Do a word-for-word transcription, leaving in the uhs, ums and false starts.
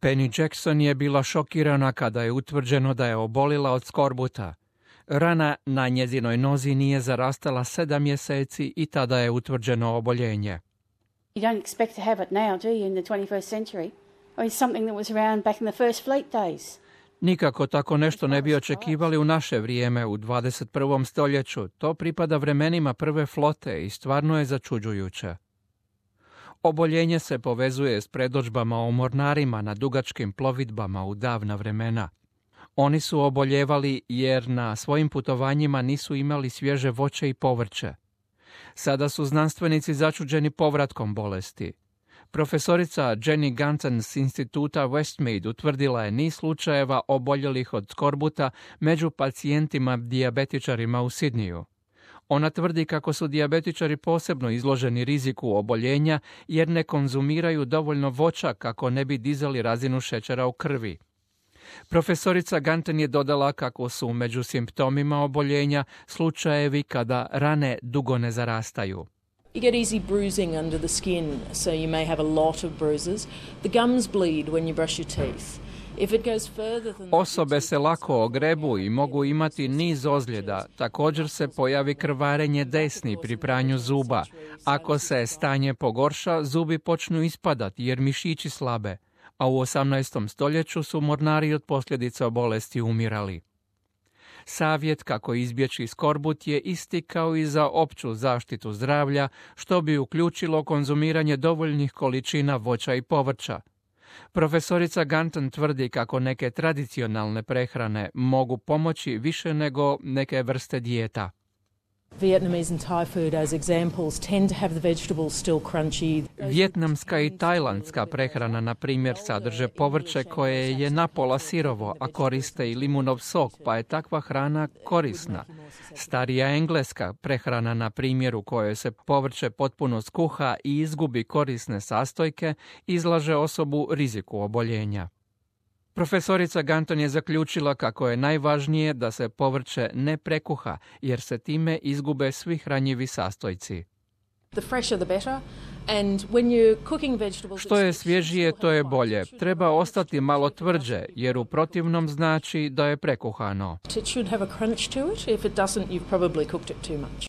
Penny Jackson je bila šokirana kada je utvrđeno da je obolila od skorbuta. Rana na njezinoj nozi nije zarastala sedam mjeseci i tada je utvrđeno oboljenje. You don't expect to have it now, do you, in the twenty-first century? I mean, something that was around back in the first fleet days. Nikako tako nešto ne bi očekivali u naše vrijeme, u dvadeset prvom stoljeću. To pripada vremenima prve flote i stvarno je začuđujuće. Oboljenje se povezuje s predodžbama o mornarima na dugačkim plovidbama u davna vremena. Oni su oboljevali jer na svojim putovanjima nisu imali svježe voće i povrće. Sada su znanstvenici začuđeni povratkom bolesti. Profesorica Jenny Gunton s instituta Westmead utvrdila je niz slučajeva oboljelih od skorbuta među pacijentima dijabetičarima u Sidniju. Ona tvrdi kako su dijabetičari posebno izloženi riziku oboljenja jer ne konzumiraju dovoljno voća kako ne bi dizali razinu šećera u krvi. Profesorica Gunton je dodala kako su među simptomima oboljenja slučajevi kada rane dugo ne zarastaju. You get easy bruising under the skin, so you may have a lot of bruises. The gums bleed when you brush your teeth. If it goes further than Osobe se lako ogrebu i mogu imati niz ozljeda. Također se pojavi krvarenje desni pri pranju zuba. Ako se stanje pogorša, zubi počnu ispadati jer mišići slabe. A u osamnaestom stoljeću su mornari od posljedica bolesti umirali. Savjet kako izbjeći skorbut je isti kao i za opću zaštitu zdravlja, što bi uključilo konzumiranje dovoljnih količina voća i povrća. Profesorica Gunton tvrdi kako neke tradicionalne prehrane mogu pomoći više nego neke vrste dijeta. Vietnamese and Thai food as examples tend to have the vegetables still crunchy. Vjetnamska i tajlandska prehrana, na primjer, sadrže povrće koje je napola sirovo, a koriste i limunov sok, pa je takva hrana korisna. Starija engleska prehrana, na primjer, u kojoj se povrće potpuno skuha i izgubi korisne sastojke, izlaže osobu riziku oboljenja. Profesorica Gunton je zaključila kako je najvažnije da se povrće ne prekuha, jer se time izgube svi hranjivi sastojci. The fresher the better. And when you're cooking vegetables, što je svježije, to je bolje. Treba ostati malo tvrđe, jer u protivnom znači da je prekuhano. It should have a crunch to it. If it doesn't, you've probably cooked it too much.